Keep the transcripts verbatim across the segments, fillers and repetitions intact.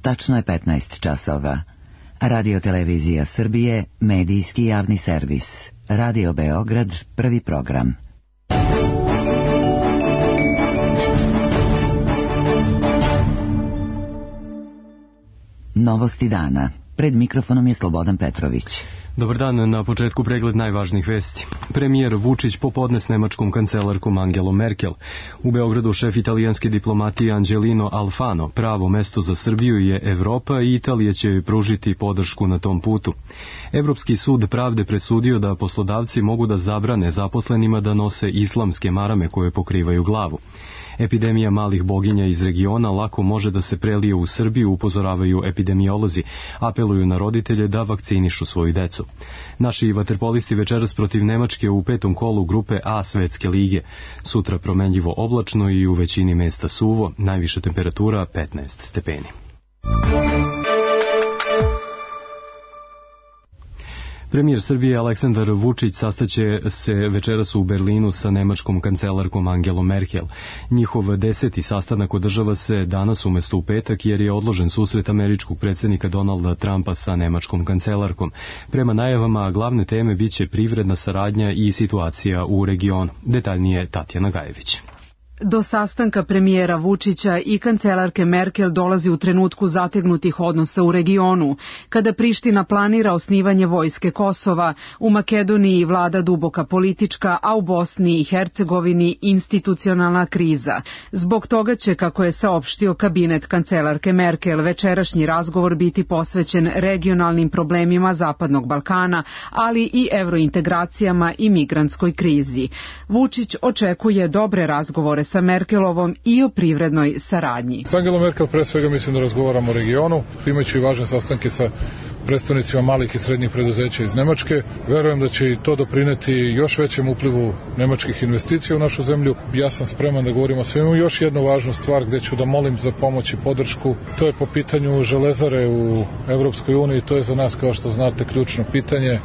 tačno je petnaest časova. Radio Televizija Srbije, medijski javni servis. Radio Beograd, prvi program. Novosti dana. Pred mikrofonom je Slobodan Petrović. Dobar dan, na početku pregled najvažnijih vesti. Premijer Vučić popodne s nemačkom kancelarkom Angelom Merkel. U Beogradu šef italijanske diplomatije Angelino Alfano. Pravo mesto za Srbiju je Evropa i Italija će joj pružiti podršku na tom putu. Evropski sud pravde presudio da poslodavci mogu da zabrane zaposlenima da nose islamske marame koje pokrivaju glavu. Epidemija malih boginja iz regiona lako može da se prelije u Srbiju, upozoravaju epidemiolozi. Apeluju na roditelje da vakcinišu svoju decu. Naši vaterpolisti večeras protiv Nemačke u petom kolu grupe A Svetske lige. Sutra promenljivo oblačno i u većini mesta suvo, najviša temperatura petnaest stepeni. Premijer Srbije Aleksandar Vučić sastaće se večeras u Berlinu sa nemačkom kancelarkom Angelom Merkel. Njihov deseti sastanak održava se danas umesto u petak jer je odložen susret američkog predsjednika Donalda Trumpa sa nemačkom kancelarkom. Prema najavama glavne teme biće privredna saradnja i situacija u regionu. Detaljnije Tatjana Gajević. Do sastanka premijera Vučića i kancelarke Merkel dolazi u trenutku zategnutih odnosa u regionu, kada Priština planira osnivanje vojske Kosova, u Makedoniji vlada duboka politička, a u Bosni i Hercegovini institucionalna kriza. Zbog toga će, kako je saopštio kabinet kancelarke Merkel, večerašnji razgovor biti posvećen regionalnim problemima Zapadnog Balkana, ali i evrointegracijama i migrantskoj krizi. Vučić očekuje dobre razgovore sa Merkelovom i o privrednoj saradnji. S Angelom Merkel pre svega mislim da razgovaramo o regionu, imajući važne sastanke sa predstavnicima malih i srednjih preduzeća iz Nemačke. Verujem da će i to doprineti još većem uplivu nemačkih investicija u našu zemlju. Ja sam spreman da govorimo o svemu. Još jednu važnu stvar gde ću da molim za pomoć i podršku, to je po pitanju železare u Evropskoj uniji. To je za nas, kao što znate, ključno pitanje.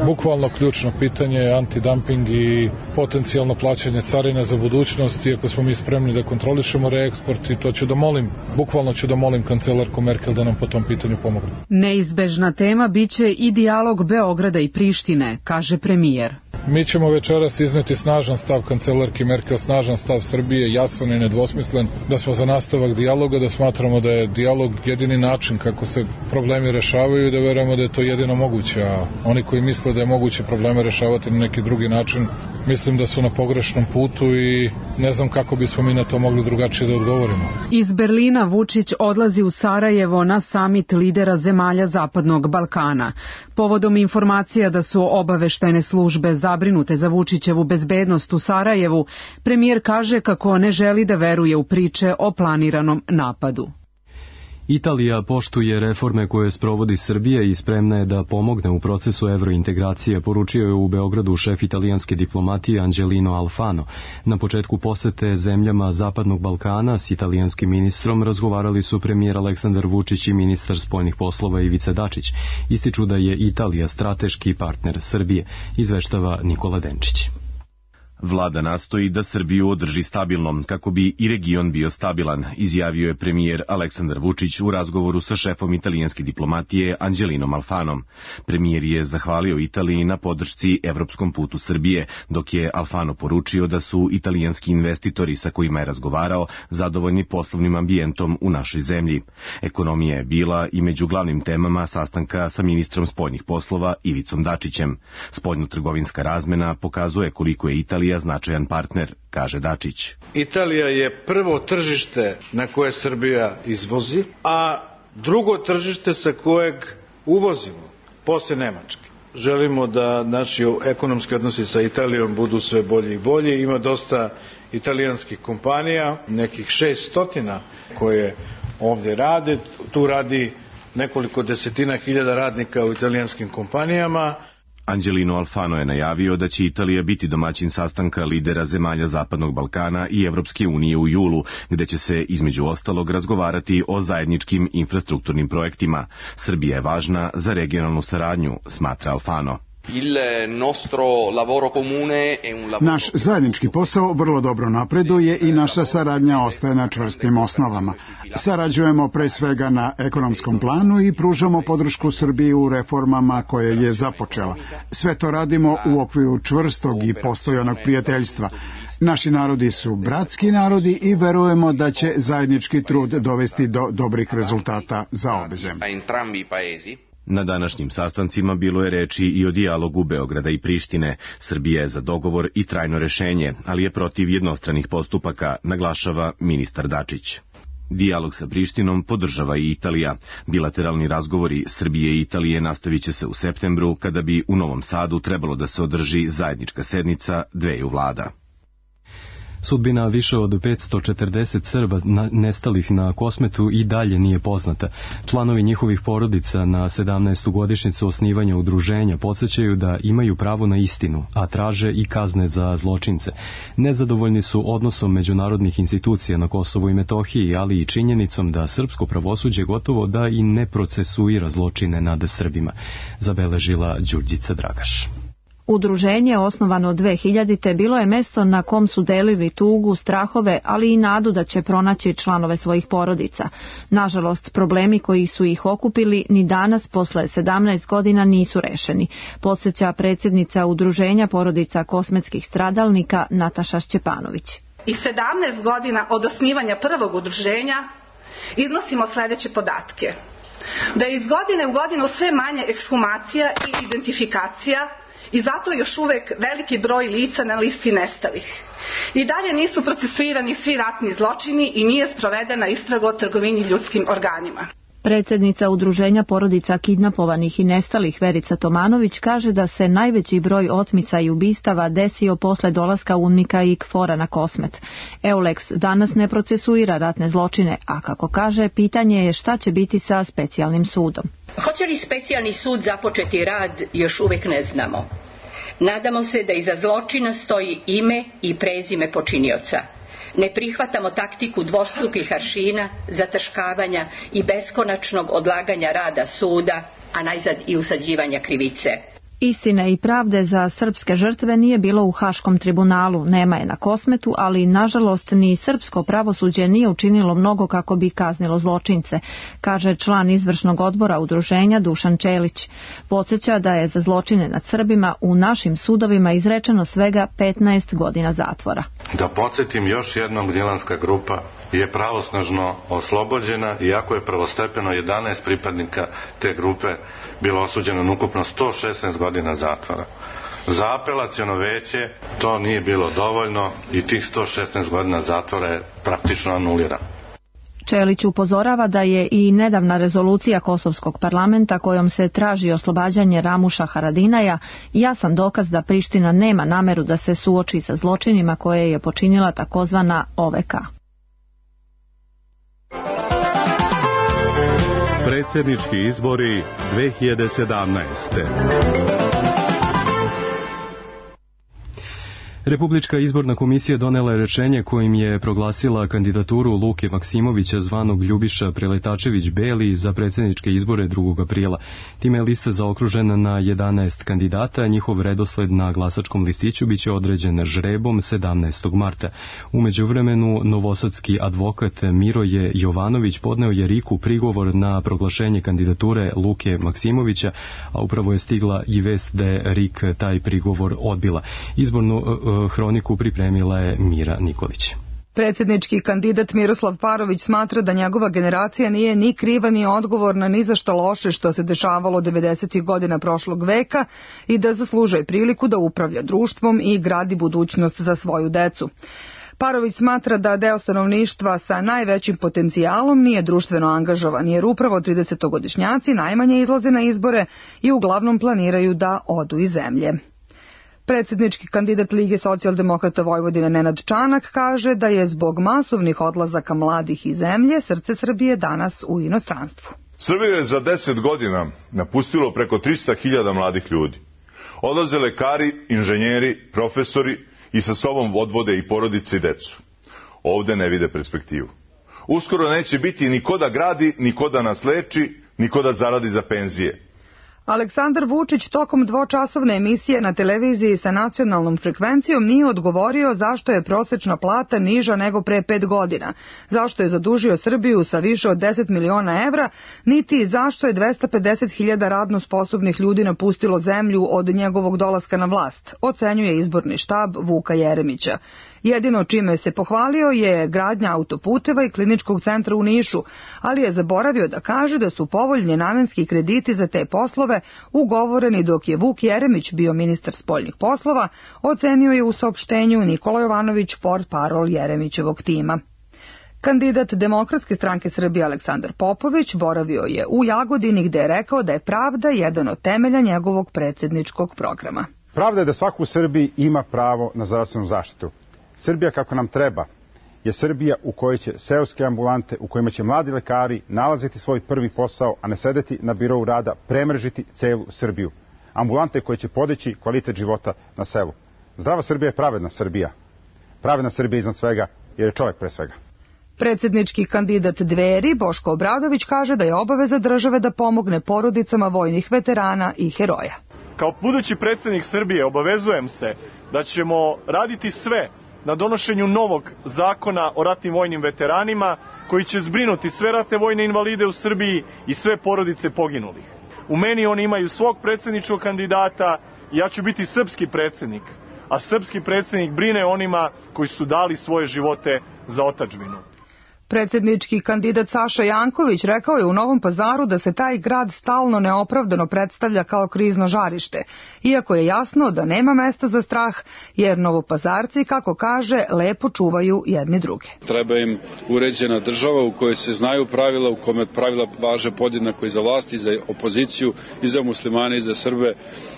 Bukvalno ključno pitanje, antidumping i potencijalno plaćanje carina za budućnost, iako smo mi spremni da kontrolišemo reeksport, i to ću da molim, bukvalno ću da molim kancelarku Merkel da nam po tom pitanju pomogne. Neizbežna tema biće i dijalog Beograda i Prištine, kaže premijer. Mi ćemo večeras izneti snažan stav kancelarke Merkel, snažan stav Srbije, jasan i nedvosmislen, da smo za nastavak dijaloga, da smatramo da je dijalog jedini način kako se problemi rešavaju i da verujemo da je to jedino moguće, a oni koji misle da je moguće probleme rešavati na neki drugi način, mislim da su na pogrešnom putu i ne znam kako bismo mi na to mogli drugačije da odgovorimo. Iz Berlina Vučić odlazi u Sarajevo na samit lidera zemalja Zapadnog Balkana. Povodom informacija da su obaveštajne službe zabrinute za Vučićevu bezbednost u Sarajevu, premijer kaže kako ne želi da veruje u priče o planiranom napadu. Italija poštuje reforme koje sprovodi Srbija i spremna je da pomogne u procesu evrointegracije, poručio je u Beogradu šef italijanske diplomatije Angelino Alfano. Na početku posete zemljama Zapadnog Balkana s italijanskim ministrom razgovarali su premijer Aleksandar Vučić i ministar spoljnih poslova Ivica Dačić. Ističu da je Italija strateški partner Srbije, izveštava Nikola Denčić. Vlada nastoji da Srbiju održi stabilnom, kako bi i region bio stabilan, izjavio je premijer Aleksandar Vučić u razgovoru sa šefom italijanske diplomatije Angelinom Alfanom. Premijer je zahvalio Italiji na podršci evropskom putu Srbije, dok je Alfano poručio da su italijanski investitori sa kojima je razgovarao zadovoljni poslovnim ambijentom u našoj zemlji. Ekonomija je bila i među glavnim temama sastanka sa ministrom spoljnih poslova Ivicom Dačićem. Spoljno-trgovinska razmena pokazuje koliko je Italija značajan partner, kaže Dačić. Italija je prvo tržište na koje Srbija izvozi, a drugo tržište sa kojeg uvozimo, posle Nemačke. Želimo da naši ekonomski odnosi sa Italijom budu sve bolji i bolji. Ima dosta italijanskih kompanija, nekih šest stotina koje ovdje rade. Tu radi nekoliko desetina hiljada radnika u italijanskim kompanijama. Angelino Alfano je najavio da će Italija biti domaćin sastanka lidera zemalja Zapadnog Balkana i Evropske unije u julu, gde će se između ostalog razgovarati o zajedničkim infrastrukturnim projektima. Srbija je važna za regionalnu saradnju, smatra Alfano. Naš zajednički posao vrlo dobro napreduje i naša saradnja ostaje na čvrstim osnovama. Sarađujemo pre svega na ekonomskom planu i pružamo podršku Srbiji u reformama koje je započela. Sve to radimo u okviru čvrstog i postojanog prijateljstva. Naši narodi su bratski narodi i verujemo da će zajednički trud dovesti do dobrih rezultata za obe zemlje. Na današnjim sastancima bilo je reči i o dijalogu Beograda i Prištine. Srbija je za dogovor i trajno rešenje, ali je protiv jednostranih postupaka, naglašava ministar Dačić. Dijalog sa Prištinom podržava i Italija. Bilateralni razgovori Srbije i Italije nastavit će se u septembru, kada bi u Novom Sadu trebalo da se održi zajednička sednica dveju vlada. Sudbina više od petsto četrdeset Srba nestalih na Kosmetu i dalje nije poznata. Članovi njihovih porodica na sedamnaestu godišnjicu osnivanja udruženja podsjećaju da imaju pravo na istinu, a traže i kazne za zločince. Nezadovoljni su odnosom međunarodnih institucija na Kosovu i Metohiji, ali i činjenicom da srpsko pravosuđe gotovo da i ne procesuira zločine nad Srbima, zabeležila Đurđica Dragaš. Udruženje, osnovano dve hiljadite. bilo je mesto na kom su delili tugu, strahove, ali i nadu da će pronaći članove svojih porodica. Nažalost, problemi koji su ih okupili ni danas, posle sedamnaest godina, nisu rešeni, podsjeća predsjednica Udruženja porodica kosmetskih stradalnika Nataša Šćepanović. I sedamnaest godina od osnivanja prvog udruženja iznosimo sledeće podatke. Da je iz godine u godinu sve manje ekshumacija i identifikacija, i zato još uvek veliki broj lica na listi nestalih. I dalje nisu procesuirani svi ratni zločini i nije sprovedena istraga o trgovini ljudskim organima. Predsjednica Udruženja porodica kidnapovanih i nestalih Verica Tomanović kaže da se najveći broj otmica i ubistava desio posle dolaska UNMIK-a i KFOR-a na Kosmet. EULEX danas ne procesuira ratne zločine, a kako kaže, pitanje je šta će biti sa specijalnim sudom. Hoće li specijalni sud započeti rad, još uvijek ne znamo. Nadamo se da iza zločina stoji ime i prezime počinioca. Ne prihvatamo taktiku dvostrukih aršina, zataškavanja i beskonačnog odlaganja rada suda, a najzad i usađivanja krivice. Istine i pravde za srpske žrtve nije bilo u Haškom tribunalu, nema je na Kosmetu, ali nažalost ni srpsko pravosuđe nije učinilo mnogo kako bi kaznilo zločince, kaže član izvršnog odbora udruženja Dušan Čelić. Podsjeća da je za zločine nad Srbima u našim sudovima izrečeno svega petnaest godina zatvora. Da podsjetim još jednom, Gnjilanska grupa je pravosnažno oslobođena, iako je prvostepeno jedanaest pripadnika te grupe bilo osuđeno na ukupno sto šesnaest godina zatvora. Za apelaciono veće to nije bilo dovoljno i tih sto šesnaest godina zatvora je praktično anulirano. Čelić upozorava da je i nedavna rezolucija Kosovskog parlamenta kojom se traži oslobađanje Ramuša Haradinaja jasan dokaz da Priština nema nameru da se suoči sa zločinima koje je počinila takozvana O V K. Predsjednički izbori dve hiljade sedamnaeste. Republička izborna komisija donela je rečenje kojim je proglasila kandidaturu Luke Maksimovića zvanog Ljubiša Preletačević-Beli za predsjedničke izbore drugog aprila. Time je lista zaokružena na jedanaest kandidata, njihov redosled na glasačkom listiću biće određen žrebom sedamnaestog marta. U međuvremenu novosadski advokat Miroje Jovanović podneo je RIK-u prigovor na proglašenje kandidature Luke Maksimovića, a upravo je stigla i vest da je RIK taj prigovor odbila. Izbornu hroniku pripremila je Mira Nikolić. Predsjednički kandidat Miroslav Parović smatra da njegova generacija nije ni kriva ni odgovorna ni za što loše što se dešavalo devedesetih godina prošlog veka i da zaslužuje priliku da upravlja društvom i gradi budućnost za svoju decu. Parović smatra da deo stanovništva sa najvećim potencijalom nije društveno angažovan, jer upravo tridesetogodišnjaci najmanje izlaze na izbore i uglavnom planiraju da odu iz zemlje. Predsjednički kandidat Lige socijaldemokrata Vojvodine Nenad Čanak kaže da je zbog masovnih odlazaka mladih iz zemlje srce Srbije danas u inostranstvu. Srbiju je za deset godina napustilo preko trista hiljada mladih ljudi. Odlaze lekari, inženjeri, profesori i sa sobom odvode i porodice i decu. Ovde ne vide perspektivu. Uskoro neće biti ni ko da gradi, ni ko da nas leči, ni ko da zaradi za penzije. Aleksandar Vučić tokom dvočasovne emisije na televiziji sa nacionalnom frekvencijom nije odgovorio zašto je prosečna plata niža nego pre pet godina, zašto je zadužio Srbiju sa više od deset miliona evra, niti zašto je dvesta pedeset hiljada radno sposobnih ljudi napustilo zemlju od njegovog dolaska na vlast, ocenjuje izborni štab Vuka Jeremića. Jedino čime se pohvalio je gradnja autoputeva i kliničkog centra u Nišu, ali je zaboravio da kaže da su povoljni namenski krediti za te poslove ugovoreni dok je Vuk Jeremić bio ministar spoljnih poslova, ocenio je u saopštenju Nikola Jovanović, portparol Jeremićevog tima. Kandidat Demokratske stranke Srbije Aleksandar Popović boravio je u Jagodini gde je rekao da je pravda jedan od temelja njegovog predsjedničkog programa. Pravda je da svako u Srbiji ima pravo na zdravstvenu zaštitu. Srbija kako nam treba je Srbija u kojoj će seoske ambulante, u kojima će mladi lekari nalaziti svoj prvi posao, a ne sedeti na birou rada, premržiti celu Srbiju. Ambulante koje će podići kvalitet života na selu. Zdrava Srbija je pravedna Srbija. Pravedna Srbija iznad svega, jer je čovjek pre svega. Predsjednički kandidat Dveri Boško Obradović kaže da je obaveza države da pomogne porodicama vojnih veterana i heroja. Kao budući predsjednik Srbije obavezujem se da ćemo raditi sve na donošenju novog zakona o ratnim vojnim veteranima koji će zbrinuti sve ratne vojne invalide u Srbiji i sve porodice poginulih. U meni oni imaju svog predsjedničkog kandidata i ja ću biti srpski predsjednik, a srpski predsjednik brine onima koji su dali svoje živote za otadžbinu. Predsjednički kandidat Saša Janković rekao je u Novom Pazaru da se taj grad stalno neopravdano predstavlja kao krizno žarište, iako je jasno da nema mesta za strah, jer Novopazarci, kako kaže, lepo čuvaju jedni druge. Treba im uređena država u kojoj se znaju pravila, u kome pravila važe podjednako i za vlast, i za opoziciju, i za muslimane, i za Srbe,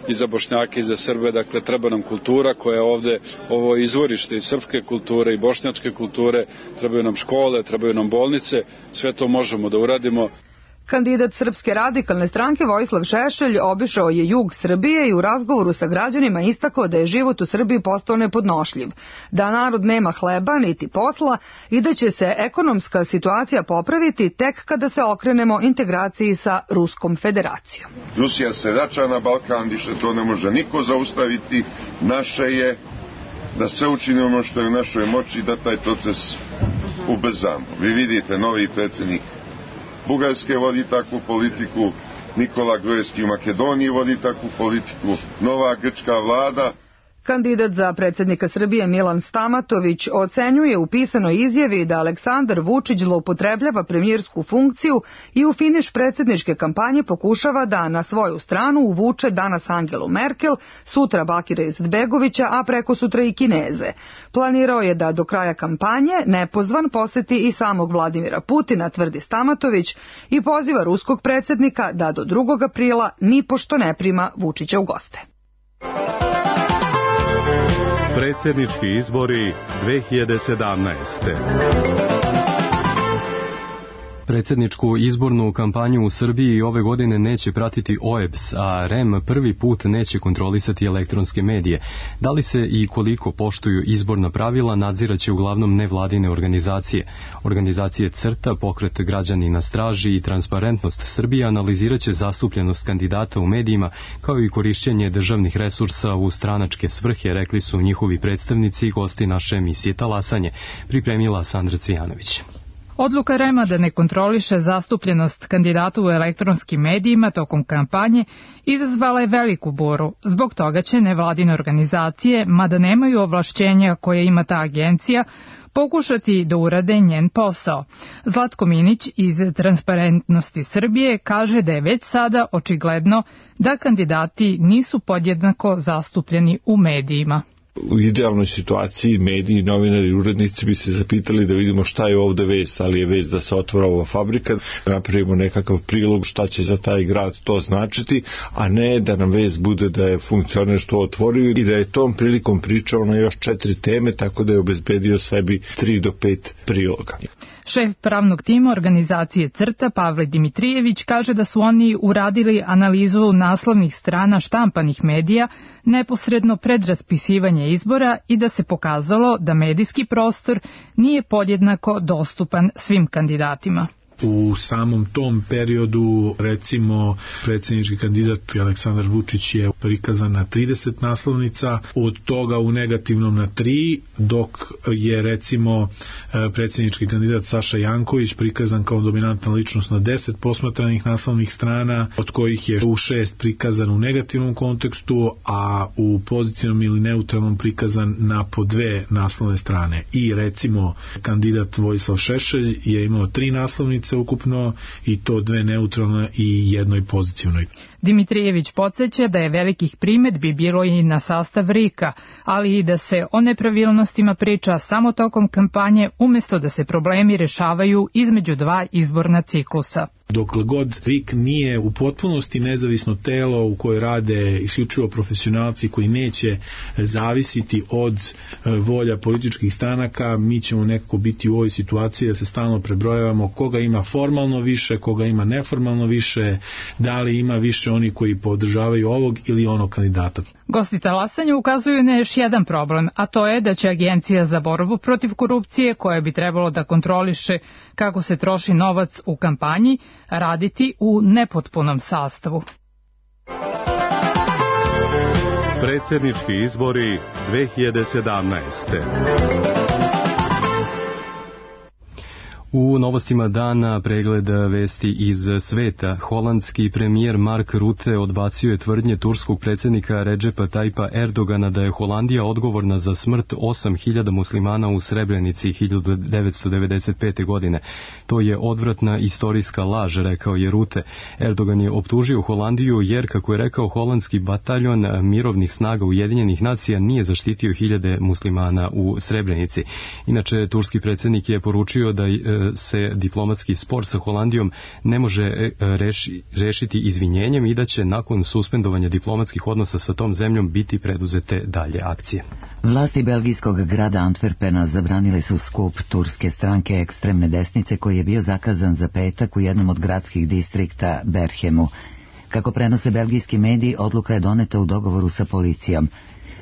i za Bošnjake, i za Srbe. Dakle, treba nam kultura koja je ovde, ovo izvorište i srpske kulture i bošnjačke kulture, trebaju nam škole, trebaju nam bolnice, sve to možemo da uradimo. Kandidat Srpske radikalne stranke Vojislav Šešelj obišao je jug Srbije i u razgovoru sa građanima istakao da je život u Srbiji postao nepodnošljiv, da narod nema hleba niti posla i da će se ekonomska situacija popraviti tek kada se okrenemo integraciji sa Ruskom federacijom. Rusija se vraća na Balkan, više to ne može niko zaustaviti. Naše je da sve učinimo ono što je u našoj moći da taj proces ubrzamo. Vi vidite, novi predsjednik Bugarske vodi takvu politiku, Nikola Gruevski u Makedoniji vodi takvu politiku, nova grčka vlada. Kandidat za predsjednika Srbije Milan Stamatović ocenjuje u pisanoj izjavi da Aleksandar Vučić zloupotrebljava premijersku funkciju i u finiš predsjedničke kampanje pokušava da na svoju stranu uvuče danas Angelu Merkel, sutra Bakira Izetbegovića, a preko sutra i Kineze. Planirao je da do kraja kampanje nepozvan poseti i samog Vladimira Putina, tvrdi Stamatović, i poziva ruskog predsjednika da do drugog aprila nipošto ne prima Vučića u goste. Predsjednički izbori dve hiljade sedamnaeste. Predsjedničku izbornu kampanju u Srbiji ove godine neće pratiti O E B S, a R E M prvi put neće kontrolisati elektronske medije. Da li se i koliko poštuju izborna pravila nadziraće uglavnom nevladine organizacije. Organizacije CRTA, Pokret građani na straži i Transparentnost Srbije analiziraće zastupljenost kandidata u medijima kao i korišćenje državnih resursa u stranačke svrhe, rekli su njihovi predstavnici i gosti naše emisije Talasanje, pripremila Sandra Cvijanović. Odluka R E M-a da ne kontroliše zastupljenost kandidata u elektronskim medijima tokom kampanje izazvala je veliku buru. Zbog toga će nevladine organizacije, mada nemaju ovlašćenja koje ima ta agencija, pokušati da urade njen posao. Zlatko Minić iz Transparentnosti Srbije kaže da je već sada očigledno da kandidati nisu podjednako zastupljeni u medijima. U idealnoj situaciji mediji, novinari i urednici bi se zapitali da vidimo šta je ovde vest, ali je vest da se otvara ova fabrika, napravimo nekakav prilog šta će za taj grad to značiti, a ne da nam vest bude da je funkcioner što otvorio i da je tom prilikom pričao na još četiri teme, tako da je obezbedio sebi tri do pet priloga. Šef pravnog tima organizacije CRTA Pavle Dimitrijević kaže da su oni uradili analizu naslovnih strana štampanih medija neposredno pred raspisivanje izbora i da se pokazalo da medijski prostor nije podjednako dostupan svim kandidatima. U samom tom periodu, recimo, predsjednički kandidat Aleksandar Vučić je prikazan na trideset naslovnica, od toga u negativnom na tri, dok je recimo predsjednički kandidat Saša Janković prikazan kao dominantna ličnost na deset posmatranih naslovnih strana, od kojih je u šest prikazan u negativnom kontekstu, a u pozitivnom ili neutralnom prikazan na po dve naslovne strane. I recimo kandidat Vojislav Šešelj je imao tri naslovnice ukupno, i to dve neutralne i jednoj pozitivnoj. Dimitrijević podsjeća da je velikih primedbi bilo i na sastav R I K-a, ali i da se o nepravilnostima priča samo tokom kampanje, umjesto da se problemi rešavaju između dva izborna ciklusa. Dokle god R I K nije u potpunosti nezavisno telo u koje rade isključivo profesionalci koji neće zavisiti od volja političkih stranaka, mi ćemo nekako biti u ovoj situaciji da se stalno prebrojavamo koga ima formalno više, koga ima neformalno više, da li ima više oni koji podržavaju ovog ili onog kandidata. Gosti talasanja ukazuju na još jedan problem, a to je da će Agencija za borbu protiv korupcije, koja bi trebalo da kontroliše kako se troši novac u kampanji, raditi u nepotpunom sastavu. Predsjednički izbori dve hiljade sedamnaeste. U novostima dana pregled vesti iz sveta. Holandski premijer Mark Rutte odbacio je tvrdnje turskog predsjednika Redžepa Tajpa Erdogana da je Holandija odgovorna za smrt osam hiljada muslimana u Srebrenici hiljadu devetsto devedeset pete. godine. To je odvratna istorijska laž, rekao je Rutte. Erdogan je optužio Holandiju jer, kako je rekao, holandski bataljon mirovnih snaga Ujedinjenih nacija nije zaštitio hiljade muslimana u Srebrenici. Inače, turski predsjednik je poručio da se diplomatski spor sa Holandijom ne može reši, rešiti izvinjenjem i da će nakon suspendovanja diplomatskih odnosa sa tom zemljom biti preduzete dalje akcije. Vlasti belgijskog grada Antwerpena zabranile su skup turske stranke ekstremne desnice koji je bio zakazan za petak u jednom od gradskih distrikta Berhemu. Kako prenose belgijski mediji, odluka je doneta u dogovoru sa policijom.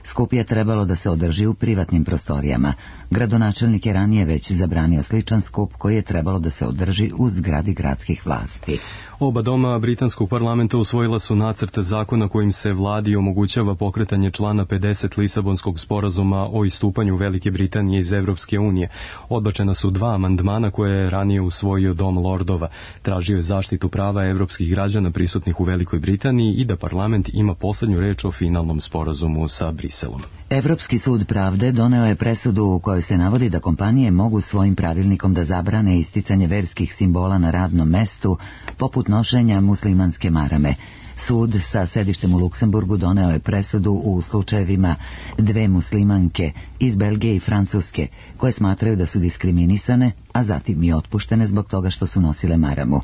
Skup je trebalo da se održi u privatnim prostorijama. Gradonačelnik je ranije već zabranio sličan skup koji je trebalo da se održi u zgradi gradskih vlasti. Oba doma britanskog parlamenta usvojila su nacrt zakona kojim se vladi omogućava pokretanje člana pedeset Lisabonskog sporazuma o istupanju Velike Britanije iz Evropske unije. Odbačena su dva amandmana koje je ranije usvojio Dom lordova. Tražio je zaštitu prava evropskih građana prisutnih u Velikoj Britaniji i da parlament ima poslednju reč o finalnom sporazumu sa Briselom. Evropski sud pravde doneo je presudu u kojoj se navodi da kompanije mogu svojim pravilnikom da zabrane isticanje verskih simbola na radnom mestu, poput nošenja muslimanske marame. Sud sa sedištem u Luksemburgu doneo je presudu u slučajevima dve muslimanke iz Belgije i Francuske, koje smatraju da su diskriminisane, a zatim i otpuštene zbog toga što su nosile maramu.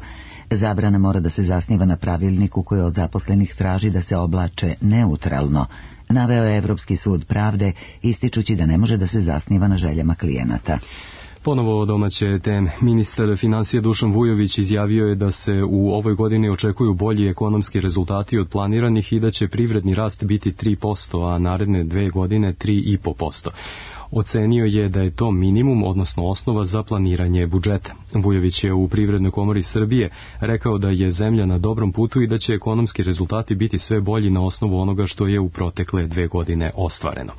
Zabrana mora da se zasniva na pravilniku koji od zaposlenih traži da se oblače neutralno, naveo je Evropski sud pravde, ističući da ne može da se zasniva na željama klijenata. Ponovo domaće teme. Ministar financija Dušan Vujović izjavio je da se u ovoj godini očekuju bolji ekonomski rezultati od planiranih i da će privredni rast biti tri posto, a naredne dve godine tri i po posto. Ocenio je da je to minimum, odnosno osnova za planiranje budžeta. Vujović je u Privrednoj komori Srbije rekao da je zemlja na dobrom putu i da će ekonomski rezultati biti sve bolji na osnovu onoga što je u protekle dve godine ostvareno.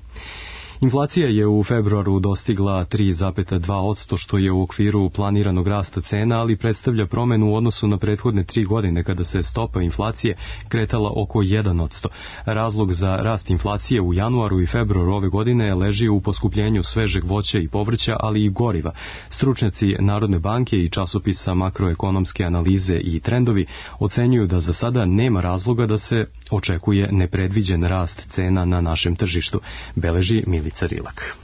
Inflacija je u februaru dostigla tri zarez dva posto, što je u okviru planiranog rasta cena, ali predstavlja promenu u odnosu na prethodne tri godine kada se stopa inflacije kretala oko jedan posto. Razlog za rast inflacije u januaru i februaru ove godine leži u poskupljenju svežeg voća i povrća, ali i goriva. Stručnjaci Narodne banke i časopisa Makroekonomske analize i trendovi ocenjuju da za sada nema razloga da se očekuje nepredviđen rast cena na našem tržištu, beleži Milica Rilak.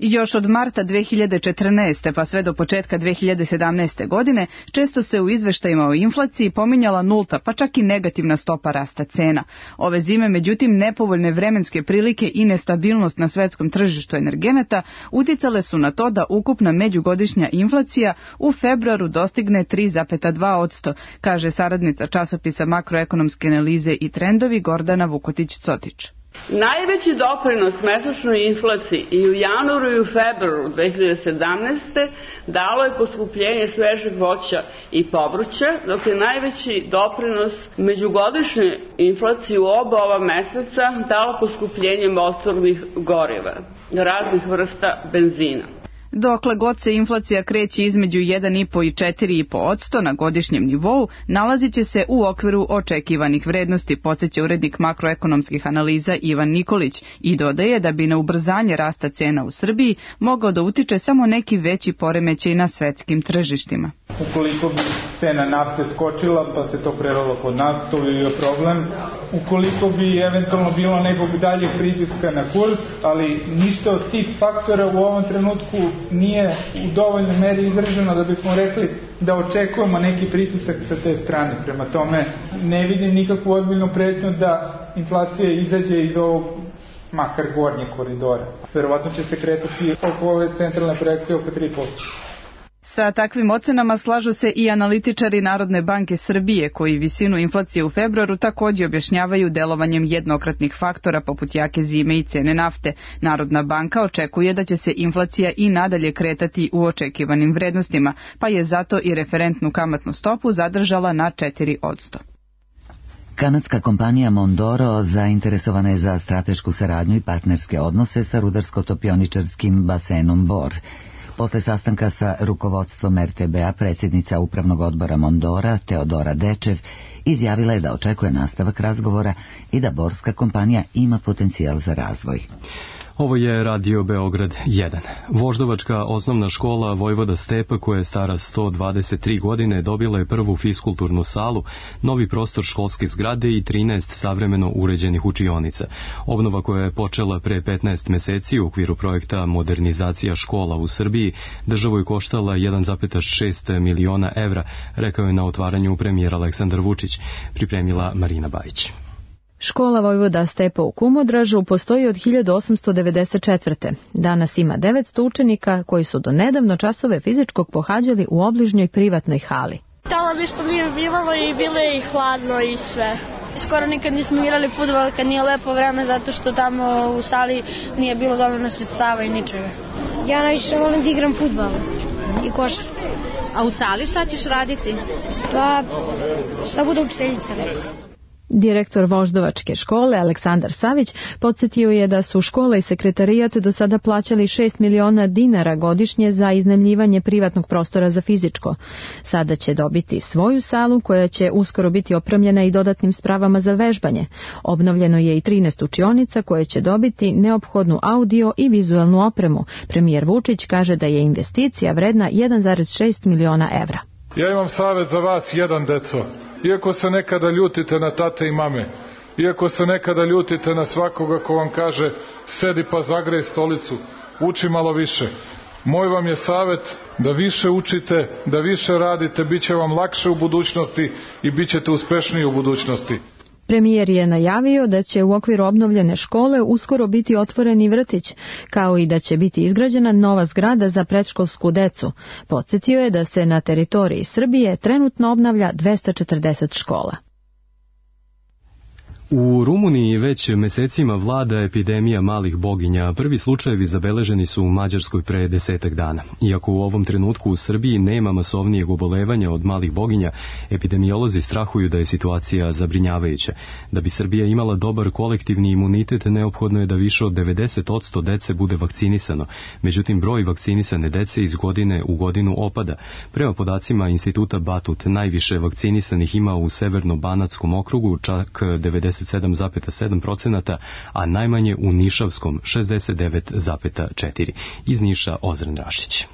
Još od marta dve hiljade četrnaeste pa sve do početka dve hiljade sedamnaeste. godine često se u izveštajima o inflaciji pominjala nulta pa čak i negativna stopa rasta cena. Ove zime, međutim, nepovoljne vremenske prilike i nestabilnost na svetskom tržištu energenata uticale su na to da ukupna međugodišnja inflacija u februaru dostigne tri zarez dva posto, kaže saradnica časopisa Makroekonomske analize i trendovi Gordana Vukotić-Cotić. Najveći doprinos mesečnoj inflaciji i u januaru i u februaru dve hiljade sedamnaeste. dalo je poskupljenje svežeg voća i povrća, dok je najveći doprinos međugodišnjoj inflaciji u oba ova meseca dalo poskupljenje motornih goriva, raznih vrsta benzina. Dokle god se inflacija kreće između jedan i po i četiri i po posto na godišnjem nivou, nalazit će se u okviru očekivanih vrednosti, podsjeća urednik makroekonomskih analiza Ivan Nikolić i dodaje da bi na ubrzanje rasta cena u Srbiji mogao da utiče samo neki veći poremećaj na svetskim tržištima. Ukoliko bi cena nafte skočila pa se to prelilo kod nas, to bi bio problem. Ukoliko bi eventualno bilo nekog daljeg pritiska na kurs, ali ništa od tih faktora u ovom trenutku nije u dovoljnoj meri izraženo da bismo rekli da očekujemo neki pritisak sa te strane. Prema tome ne vidim nikakvu ozbiljnu pretnju da inflacija izađe iz ovog makar gornje koridora. Verovatno će se kretati oko ove centralne projekcije oko tri posto. Sa takvim ocenama slažu se i analitičari Narodne banke Srbije, koji visinu inflacije u februaru takođe objašnjavaju delovanjem jednokratnih faktora poput jake zime i cene nafte. Narodna banka očekuje da će se inflacija i nadalje kretati u očekivanim vrednostima, pa je zato i referentnu kamatnu stopu zadržala na četiri posto. Kanadska kompanija Mondoro zainteresovana je za stratešku saradnju i partnerske odnose sa rudarsko-topioničarskim basenom Bor. Posle sastanka sa rukovodstvom er te be-a predsjednica upravnog odbora Mondora, Teodora Dečev, izjavila je da očekuje nastavak razgovora i da borska kompanija ima potencijal za razvoj. Ovo je Radio Beograd jedan. Voždovačka osnovna škola Vojvoda Stepa, koja je stara sto dvadeset tri godine, dobila je prvu fiskulturnu salu, novi prostor školske zgrade i trinaest savremeno uređenih učionica. Obnova koja je počela pre petnaest meseci u okviru projekta Modernizacija škola u Srbiji državu je koštala jedan zarez šest miliona evra, rekao je na otvaranju premijer Aleksandar Vučić, pripremila Marina Bajić. Škola Vojvoda Stepa u Kumodražu postoji od hiljadu osamsto devedeset četvrte. Danas ima devetsto učenika koji su do nedavno časove fizičkog pohađali u obližnjoj privatnoj hali. Tamo ništa nije bivalo i bilo je i hladno i sve. Skoro nikad nismo igrali fudbal kad nije lepo vreme zato što tamo u sali nije bilo dovoljno sredstava i ničega. Ja najviše volim da igram fudbal i košarku. A u sali šta ćeš raditi? Pa, šta bude učiteljica reći. Direktor Voždovačke škole Aleksandar Savić podsjetio je da su škola i sekretarijat do sada plaćali šest miliona dinara godišnje za iznajmljivanje privatnog prostora za fizičko. Sada će dobiti svoju salu koja će uskoro biti opremljena i dodatnim spravama za vežbanje. Obnovljeno je i trinaest učionica koje će dobiti neophodnu audio i vizuelnu opremu. Premijer Vučić kaže da je investicija vredna jedan zarez šest miliona evra. Ja imam savjet za vas jedan, deco. Iako se nekada ljutite na tate i mame, iako se nekada ljutite na svakoga ko vam kaže sedi pa zagrej stolicu, uči malo više. Moj vam je savjet da više učite, da više radite, bit će vam lakše u budućnosti i bit ćete uspešniji u budućnosti. Premijer je najavio da će u okviru obnovljene škole uskoro biti otvoren i vrtić, kao i da će biti izgrađena nova zgrada za predškolsku decu. Podsjetio je da se na teritoriji Srbije trenutno obnavlja dvesta četrdeset škola. U Rumuniji već mesecima vlada epidemija malih boginja. Prvi slučajevi zabeleženi su u Mađarskoj pre desetak dana. Iako u ovom trenutku u Srbiji nema masovnijeg obolevanja od malih boginja, epidemiolozi strahuju da je situacija zabrinjavajuća. Da bi Srbija imala dobar kolektivni imunitet, neophodno je da više od devedeset posto dece bude vakcinisano. Međutim, broj vakcinisane dece iz godine u godinu opada. Prema podacima Instituta Batut, najviše vakcinisanih ima u Severno-Banatskom okrugu, čak devedeset sedam zarez sedam procenata, a najmanje u Nišavskom šezdeset devet zarez četiri. Iz Niša Ozren Rašić.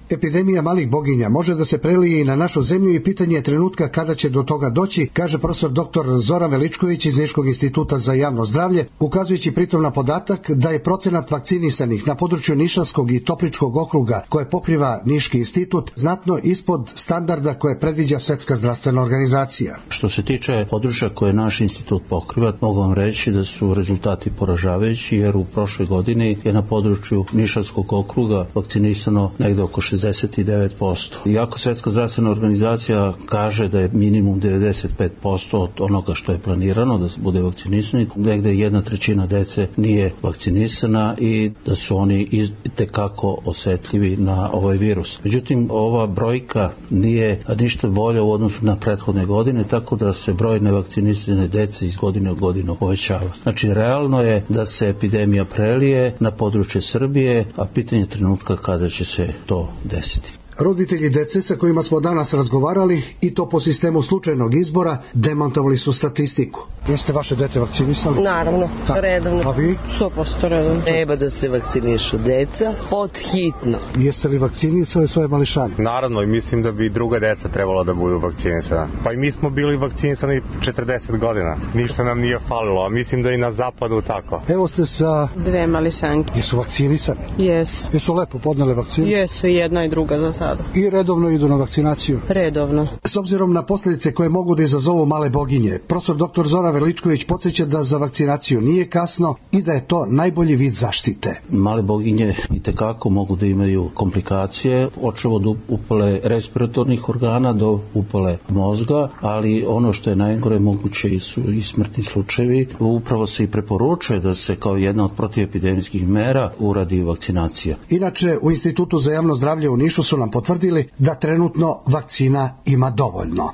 Epidemija malih boginja može da se prelije i na našu zemlju i pitanje je trenutka kada će do toga doći, kaže profesor doktor Zoran Veličković iz Niškog instituta za javno zdravlje, ukazujući pritom na podatak da je procenat vakcinisanih na području Nišavskog i Topličkog okruga koje pokriva Niški institut znatno ispod standarda koje predviđa Svetska zdravstvena organizacija. Što se tiče područja koje naš institut pokriva, mogu vam reći da su rezultati poražavajući, jer u prošloj godini je na području Nišavskog okruga vakcinisano negde oko šezdeset šezdeset devet posto. Iako Svetska zdravstvena organizacija kaže da je minimum devedeset pet posto od onoga što je planirano da se bude vakcinisani, negde jedna trećina dece nije vakcinisana i da su oni itekako osetljivi na ovaj virus. Međutim, ova brojka nije ništa bolja u odnosu na prethodne godine, tako da se broj nevakcinisane dece iz godine u godinu povećava. Znači, realno je da se epidemija prelije na područje Srbije, a pitanje trenutka kada će se to desiti. Roditelji dece sa kojima smo danas razgovarali, i to po sistemu slučajnog izbora, demantovali su statistiku. Jeste vaše dete vakcinisali? Naravno, tak. redovno. A vi? sto posto redovno. Treba da se vakcinišu deca pod hitno. Jeste li vakcinisali svoje mališane? Naravno, i mislim da bi druga deca trebala da budu vakcinisana. Pa i mi smo bili vakcinisani četrdeset godina. Ništa nam nije falilo, a mislim da i na zapadu tako. Evo ste sa... Dve mališanke. Jesu vakcinisani? Jesu. Jesu lepo podnele vakcinu? Jesu, i jedna i druga za sad. I redovno idu na vakcinaciju? Redovno. S obzirom na posljedice koje mogu da izazovu male boginje, profesor doktor Zoran Veličković podsjeća da za vakcinaciju nije kasno i da je to najbolji vid zaštite. Male boginje itekako mogu da imaju komplikacije, počev od upale respiratornih organa do upale mozga, ali ono što je najgore moguće su i smrtni slučajevi. Upravo se i preporučuje da se kao jedna od protivepidemijskih mera uradi vakcinacija. Inače, u Institutu za javno zdravlje u Nišu su nam potvrdili da trenutno vakcina ima dovoljno.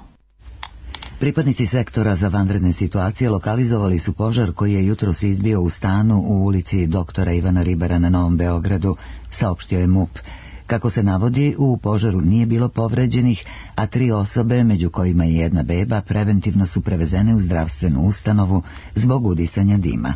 Pripadnici sektora za vanredne situacije lokalizovali su požar koji je jutros izbio u stanu u ulici doktora Ivana Ribara na Novom Beogradu, saopštio je MUP. Kako se navodi, u požaru nije bilo povređenih, a tri osobe, među kojima je jedna beba, preventivno su prevezene u zdravstvenu ustanovu zbog udisanja dima.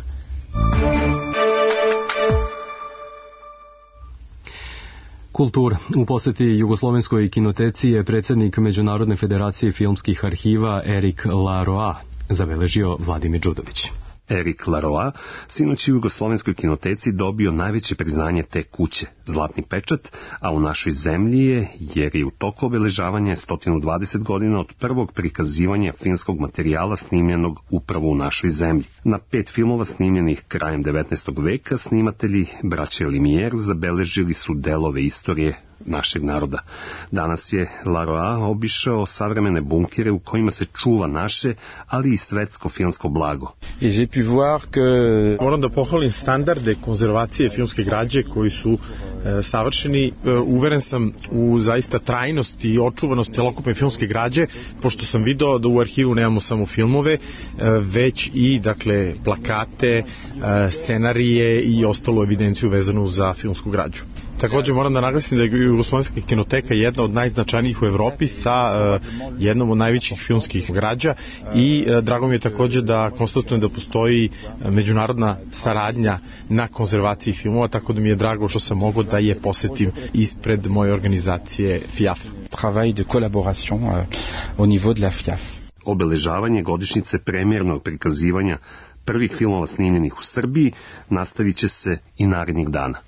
Kultura. U poseti Jugoslovenskoj kinoteci je predsjednik Međunarodne federacije filmskih arhiva Erik Laroa zabeležio Vladimir Đudović. Erik Laroa sinoć u Jugoslovenskoj kinoteci dobio najveće priznanje te kuće, zlatni pečat, a u našoj zemlji je, jer je u toku obeležavanja sto dvadeset godina od prvog prikazivanja filmskog materijala snimljenog upravo u našoj zemlji. Na pet filmova snimljenih krajem devetnaestog veka snimatelji braće Limijer zabeležili su delove istorije našeg naroda. Danas je Laroa obišao savremene bunkere u kojima se čuva naše, ali i svetsko filmsko blago. Moram da pohvalim standarde konzervacije filmske građe koji su e, savršeni. E, uveren sam u zaista trajnost i očuvanost celokupne filmske građe, pošto sam video da u arhivu nemamo samo filmove, e, već i dakle plakate, e, scenarije i ostalu evidenciju vezanu za filmsku građu. Također moram da naglasim da je Jugoslovenska kinoteka jedna od najznačajnijih u Evropi sa uh, jednom od najvećih filmskih građa i uh, drago mi je također da konstatujem da postoji uh, međunarodna saradnja na konzervaciji filmova, tako da mi je drago što sam mogao da je posetim ispred moje organizacije F I A F. Travail de collaboration uh, au niveau de la F I A F. Obeležavanje godišnjice premijernog prikazivanja prvih filmova snimljenih u Srbiji nastavit će se i narednih dana.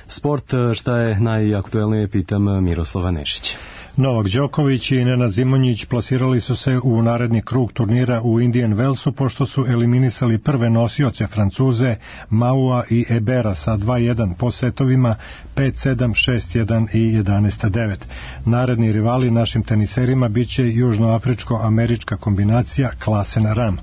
Sport, šta je najaktuelnije, pitam Miroslava Nešića. Novak Đoković i Nenad Zimonjić plasirali su se u naredni krug turnira u Indian Wellsu pošto su eliminisali prve nosioce Francuze Maua i Ebera sa dva jedan po setovima pet sedam, šest jedan i jedanaest devet. Naredni rivali našim teniserima biće južnoafričko-američka kombinacija Klasen Ram.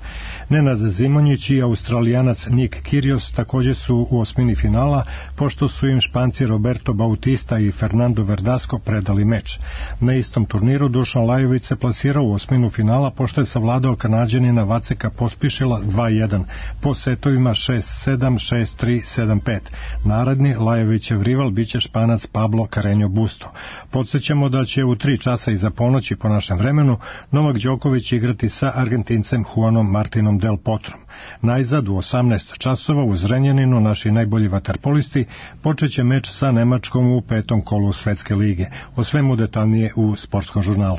Nenad Zimonjić i Australijanac Nick Kyrgios također su u osmini finala pošto su im Španci Roberto Bautista i Fernando Verdasco predali meč. Na istom turniru Dušan Lajović se plasirao u osminu finala pošto je savladao Kanađanina Vaceka Pospišila dva jedan po setovima šest sedam, šest tri, sedam pet. Naredni Lajovićev rival biće Španac Pablo Carreño Busto. Podsjećamo da će u tri časa iza ponoći po našem vremenu Novak Đoković igrati sa Argentincem Juanom Martinom Del Potrom. Najzad u osamnaest časova u Zrenjaninu naši najbolji vaterpolisti počeće meč sa Nemačkom u petom kolu Svetske lige. O svemu detaljnije u sportskom žurnalu.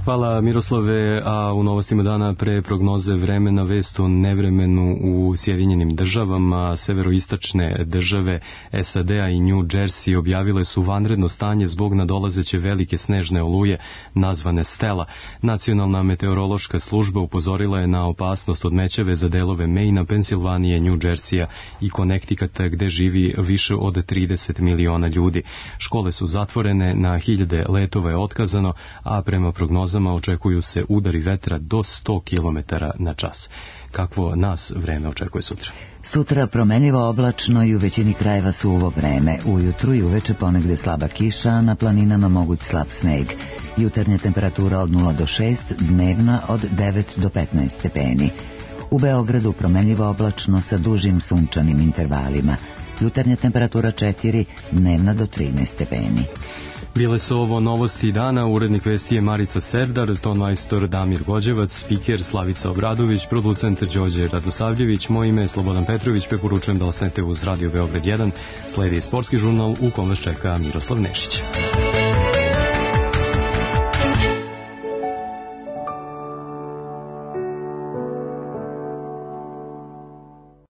Hvala Miroslave, a u novostima dana pre prognoze vremena vest o nevremenu u Sjedinjenim državama. Severoistočne države S A D-a i New Jersey objavile su vanredno stanje zbog nadolazeće velike snežne oluje nazvane Stella. Nacionalna meteorološka služba upozorila je na opasnost od mećave za delove Maina, Pensilvanije, New Jerseya i Connecticuta gde živi više od trideset miliona ljudi. Škole su zatvorene, na hiljade letova je otkazano, a prema prognozama očekuju se udari vetra do sto kilometara na čas. Kakvo nas vreme očekuje sutra? Sutra promenljivo oblačno i u većini krajeva suvo vreme. Ujutru i uveče ponegde slaba kiša, a na planinama moguć slab sneg. Jutarnja temperatura od nula do šest, dnevna od devet do petnaest stepeni. U Beogradu promenljivo oblačno sa dužim sunčanim intervalima. Jutarnja temperatura četiri, dnevna do trinaest stepeni. Bile su ovo novosti dana, urednik vesti je Marica Serdar, tonmajstor Damir Gođevac, spiker Slavica Obradović, producent Đorđe Radosavljević, moje ime je Slobodan Petrović, preporučujem da ostanete uz Radio Beograd jedan, sledi sportski žurnal u kom vas čeka Miroslav Nešić.